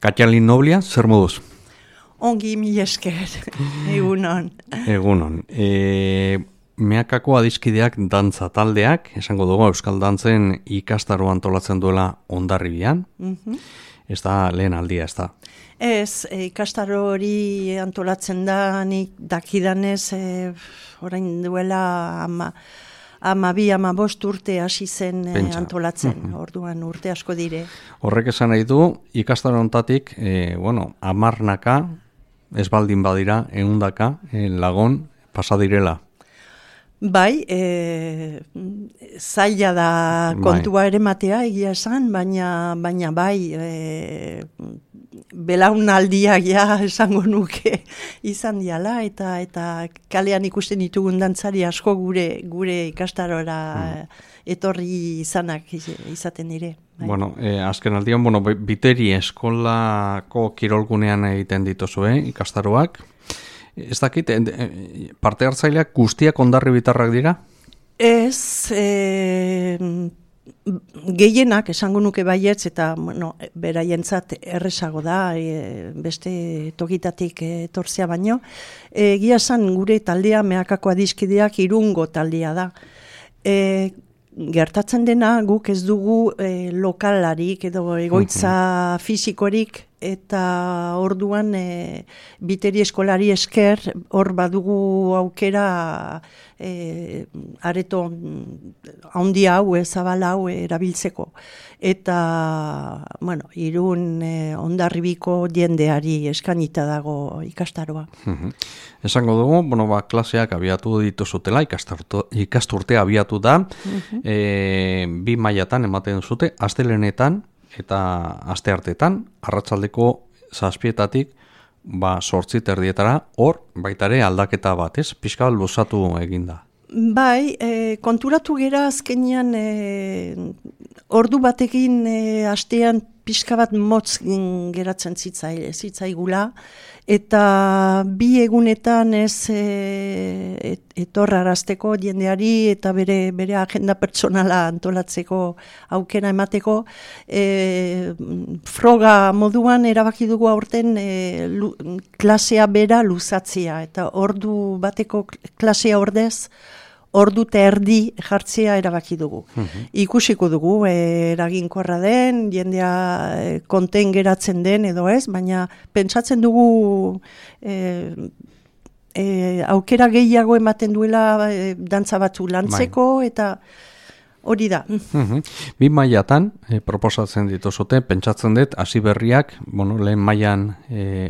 Katalin Noblia, zer moduz? Ongi mila esker, egunon. Egunon. Meakako adiskideak dantza taldeak, esango dugu Euskal Dantzen ikastaro antolatzen duela Hondarribian. Ez da lehen aldia, ez da? Ez, ikastaro hori antolatzen da, nik dakidanez, orain duela ama bost urte hasi zen antolatzen, orduan urte asko dire. Horrek esan nahi du, ikastaro hontatik, amarnaka, ez baldin badira, ehundaka lagun pasadirela. Bai, zaila da kontua ere matea egia esan, baina bai, belaunaldiak ja esango nuke izan diala, eta kalean ikusten ditugun dantzari asko gure ikastarora etorri izanak izaten dire. Bai. Azken aldian, Biteri eskolako kirolgunean egiten dituzue ikastaroak. Ez dakit, parte hartzaileak guztiak Hondarribitarrak dira? Ez, gehienak esango nuke baietz, eta beraientzat errezago da, beste tokitatik etortzea baino. Egia esan gure taldea, Meakako adiskideak Irungo taldea da. Gertatzen dena guk ez dugu lokalarik edo egoitza fisikorik, eta orduan Biteri eskolari esker hor badugu aukera areto handi hau, zabal hau erabiltzeko. Eta, Irun Hondarribiko jendeari eskanita dago ikastaroa. Esango dugu, klaseak abiatu dituzutela, ikasturtea abiatu da, bi mailatan ematen zute, astelehenetan eta asteartetan, arratsaldeko 7:00 8:00 hor baitare aldaketa bat, ez? Pixka bat luzatu eginda. Bai, konturatu gera azkenean ordu batekin astean pixka bat motz geratzen zitzaigula, eta bi egunetan ez etorrarazteko jendeari eta bere agenda pertsonala antolatzeko aukera emateko, froga moduan erabaki dugu aurten klasea bera luzatzea, eta ordu bateko klasea ordez, ordu eta erdi jartzea erabaki dugu. Ikusiko dugu, eraginkorra den, jendea konten geratzen den edo ez, baina pentsatzen dugu aukera gehiago ematen duela dantza batzu lantzeko, eta hori da. Bi mailatan proposatzen dituzute, pentsatzen dut, hasi berriak, lehen mailan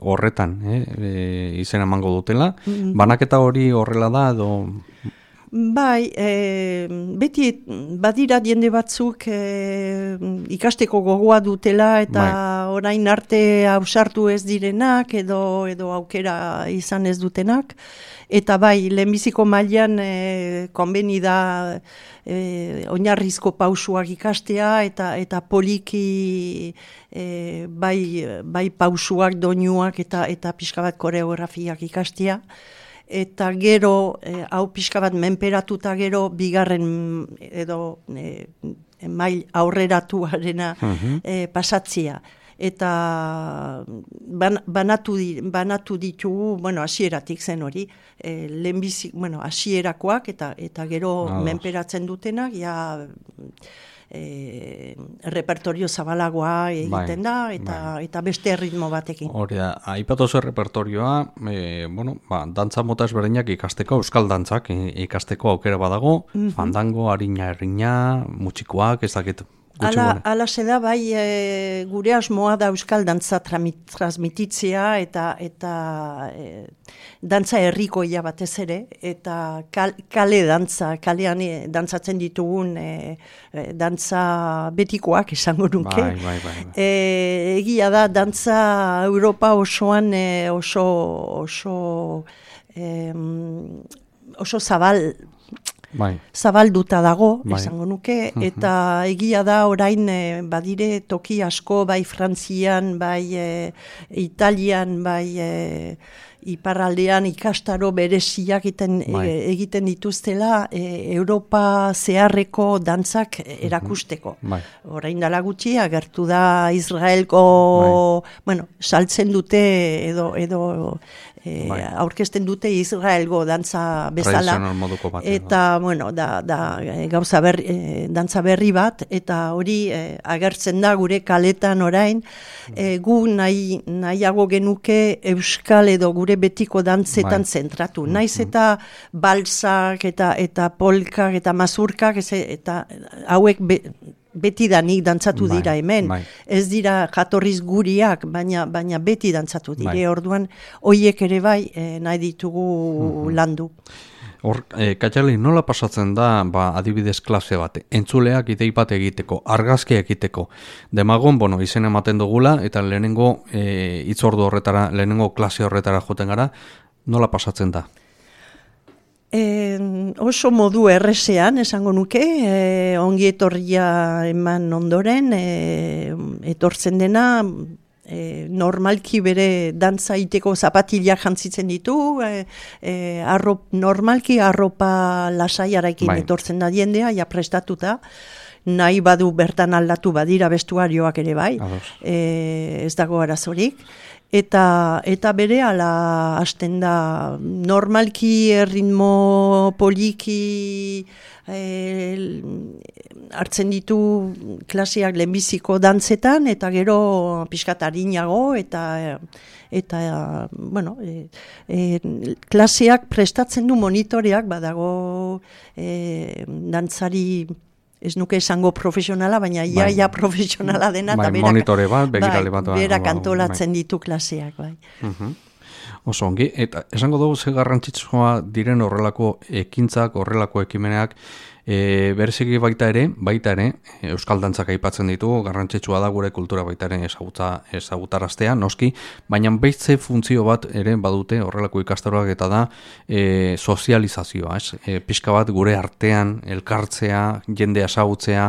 horretan izena emango dutela. Banaketa hori horrela da, edo... Bai, beti badira jende batzuk ikasteko gogoa dutela, eta orain arte ausartu ez direnak edo aukera izan ez dutenak, eta bai, lehenbiziko mailan konbeni da oinarrizko pausuak ikastea, eta poliki bai pausuak, doinuak eta pixka bat koreografiak ikastea. Eta gero, hau pixka bat menperatuta gero, bigarren edo mail aurreratuarena pasatzia. Eta banatu ditugu, hasieratik zen hori, hasierakoak eta gero menperatzen dutenak, repertorio zabalagoa egiten da, eta beste ritmo batekin. Hori da, aipatu zer repertorioa, dantza mota ezberdinak ikasteko, euskal dantzak ikasteko aukera badago, fandango, harina errina, mutxikoak, ez dakit. Ala da, bai, gure asmoa da euskal dantza transmititzea, eta dantza herrikoia batez ere, eta kale dantza, kalean dantzatzen ditugun dantza betikoak esango nuke. Bai. Egia da, dantza Europa osoan oso zabalduta dago, esango nuke, eta egia da orain badire toki asko, bai Frantzian, bai Italian, bai iparraldean ikastaro bereziak egiten dituztela Europa zeharreko dantzak erakusteko. Orain dela gutxi agertu da Israelko, saltzen dute edo aurkezten dute Israelgo dantza bezala. Eta, gauza dantza berri bat, eta hori agertzen da gure kaletan orain, gu nahiago genuke euskal edo gure betiko dantzetan zentratu. Naiz eta balsak eta polkak eta mazurkak eta hauek beti danik dantzatu dira hemen. Ez dira jatorriz guriak, baina beti dantzatu dire. Orduan, hoiek ere bai nahi ditugu landu. Hor, Katxali, nola pasatzen da, adibidez klase bat, entzuleak idei bat egiteko, argazkia egiteko, demagon, izen ematen dugula, eta lehenengo hitzordu horretara, lehenengo klase horretara joten gara, nola pasatzen da? Oso modu errezean, esango nuke, ongi etorria eman ondoren, etortzen dena, normalki bere dantza iteko zapatilak jantzitzen ditu, normalki arropa lasaiarekin etortzen da jendea, ja prestatuta, nahi badu bertan aldatu badira bestuarioak ere bai, ez dago arazorik. Eta bere ala hasten da normalki ritmo poliki hartzen ditu klaseak lehenbiziko dantzetan eta gero pixkat arinago eta klaseak prestatzen du monitoreak badago dantzari ez nuke esango profesionala, baina ia profesionala dena, eta monitore bat, begirale bat. Berak antolatzen ditu klaseak, bai. Oso ongi, eta esango dugu ze garrantzitsua diren horrelako ekintzak, horrelako ekimeneak, bereziki baita ere, euskal dantzak aipatzen ditu, garrantzitsua da gure kultura baita ere ezagutaraztea, noski, baina behitze funtzio bat ere badute horrelako ikastaroak eta da sozializazioa, pixka bat gure artean elkartzea, jendea ezagutzea,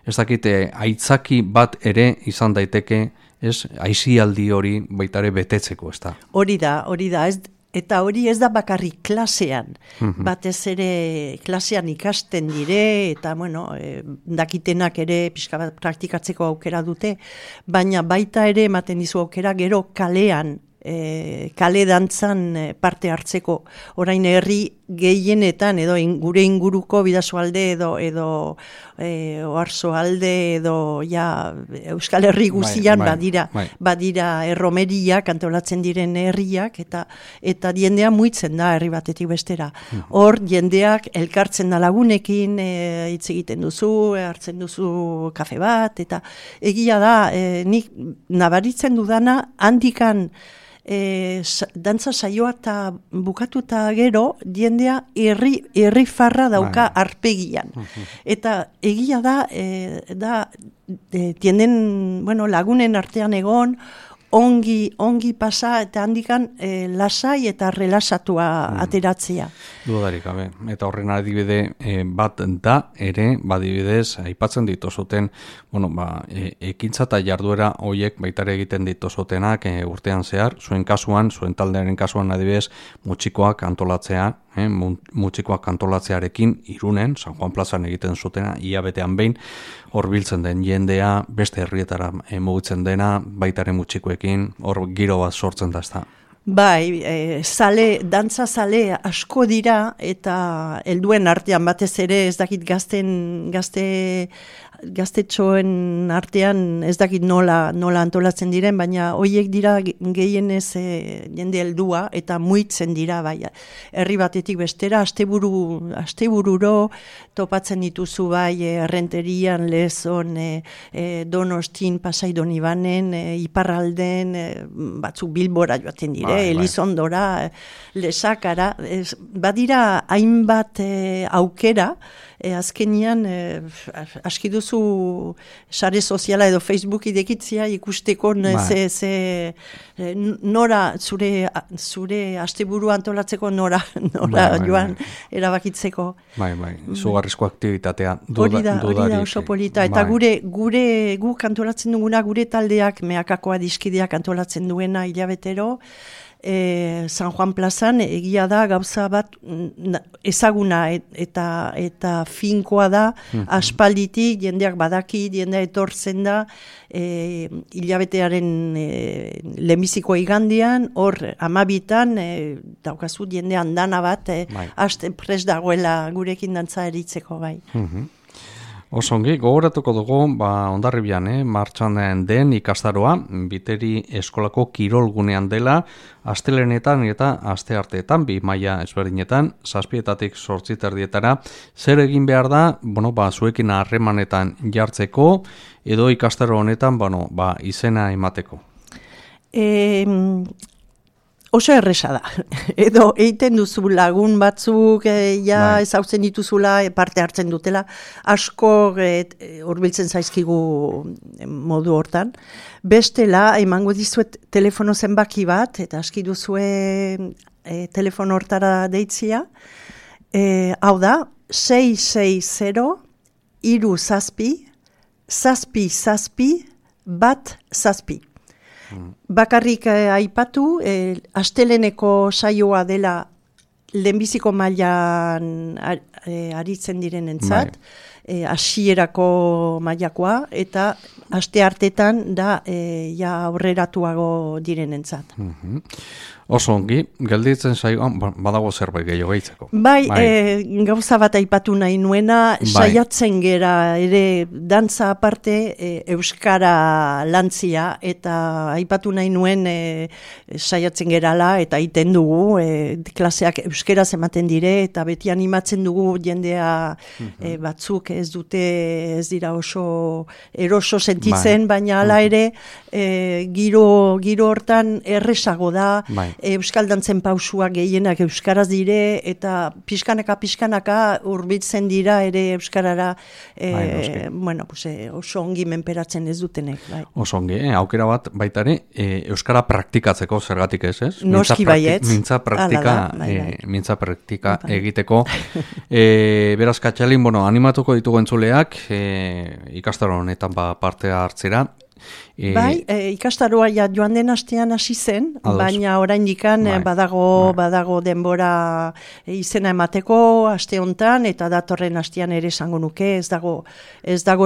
ez dakite, aitzaki bat ere izan daiteke, aisialdi hori baita ere betetzeko, ez da? Hori da, eta hori ez da bakarrik klasean, batez ere klasean ikasten dire, eta dakitenak ere pixka bat praktikatzeko aukera dute, baina baita ere ematen dizu aukera gero kalean, kale dantzan parte hartzeko, orain herri gehienetan edo gure inguruko Bidasoalde edo Oarsoalde edo Euskal Herri guztian badira erromeriak antolatzen diren herriak eta jendea muitzen da herri batetik bestera. Hor jendeak elkartzen da lagunekin, hitz egiten duzu, hartzen duzu kafe bat eta egia da nik nabaritzen dudana handikan dantza saioa eta bukatuta gero jendea herri farra dauka arpegian. Eta egia da tienden, lagunen artean egon, ongi pasa eta handikan lasai eta relasatua ateratzea. Dudarik, eta horren adibide bat da ere, badibidez, aipatzen dituzuten, ekintza eta jarduera horiek baitare egiten dituzutenak urtean zehar, zuen kasuan, zuen taldearen kasuan adibidez, mutxikoak antolatzea, mutxikoak antolatzearekin Irunen, San Juan plazan egiten zutena, ia betean behin, hor biltzen den jendea, beste herrietara mugitzen dena, baitare mutxikoekin, hor giro bat sortzen da ez da. Bai, dantza zale asko dira eta helduen artean batez ere ez dakit gaztetxoen artean ez dakit nola antolatzen diren, baina hoiek dira gehienez jende heldua eta muitzen dira, bai, herri batetik bestera, astebururo topatzen dituzu bai Errenterian, Lezon, Donostin, Pasai Donibanen, Iparralden, batzuk Bilbora joaten dire, Elizondora, Lesakara, badira hainbat aukera, azkenian aski duzu sare soziala edo Facebook idekitzia ikusteko nora zure asteburu antolatzeko nora joan erabakitzeko. Bai, zugarrizko aktibitatea. Hori da oso polita. Eta guk antolatzen duguna, gure taldeak, Meakakoa diskideak antolatzen duena hilabetero, San Juan plazan egia da gauza bat ezaguna eta finkoa da, aspalditik jendeak badaki, jendea etortzen da, hilabetearen lehenbiziko igandian, hor 12 daukazu jendean dana bat, haste prest dagoela gurekin dantza eritzeko bai. Osongi, gogoratuko dugu, Hondarribian, martxan den ikastaroa, Biteri eskolako kirolgunean dela, astelehenetan eta astearteetan, 2 maila ezberdinetan, 7:00 8:30 zer egin behar da, zuekin harremanetan jartzeko, edo ikastaro honetan, izena emateko? Oso erresa da. Edo eiten duzu lagun batzuk ezautzen dituzula, parte hartzen dutela, asko hurbiltzen zaizkigu modu hortan. Bestela, emango dizuet telefono zenbaki bat, eta aski duzue telefono hortara deitzia. Hau da, 660-7-7-1-7. Bakarrik aipatu, asteleneko saioa dela lehenbiziko mailan aritzen direnentzat, hasierako mailakoa, eta asteartetan da aurreratuago direnentzat. Oso ongi, gelditzen saioan, badago zerbait gehiago gehitzeko. Bai, gauza bat aipatu nahi nuena, saiatzen gera ere dantza aparte euskara lantzia, eta aipatu nahi nuen saiatzen gerala, eta iten dugu, klaseak euskaraz ematen dire, eta beti animatzen dugu jendea batzuk ez dira oso eroso sentitzen, baina hala ere giro hortan erresago da, euskal dantzen pausuak gehienak euskaraz dire, eta pixkanaka hurbiltzen dira ere euskarara, oso ongi menperatzen ez dutenek. Oso ongi, aukera bat baita ere, euskara praktikatzeko zergatik ez? Noski baietz. Mintza praktika egiteko. Beraz, Katxalin, animatuko ditugu entzuleak, ikastaro honetan parte hartzera. Bai, ikastaroa joan den astean hasi zen, baina oraindikan badago denbora izena emateko aste hontan, eta datorren astean ere esango nuke, ez dago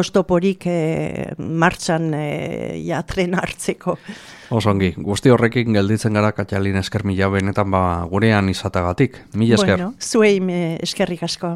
estoporik martxan tren hartzeko. Osongi, guzti horrekin gelditzen gara, Katxalin, esker mila benetan gurean izatagatik. Mila esker. Zuei eskerrik asko.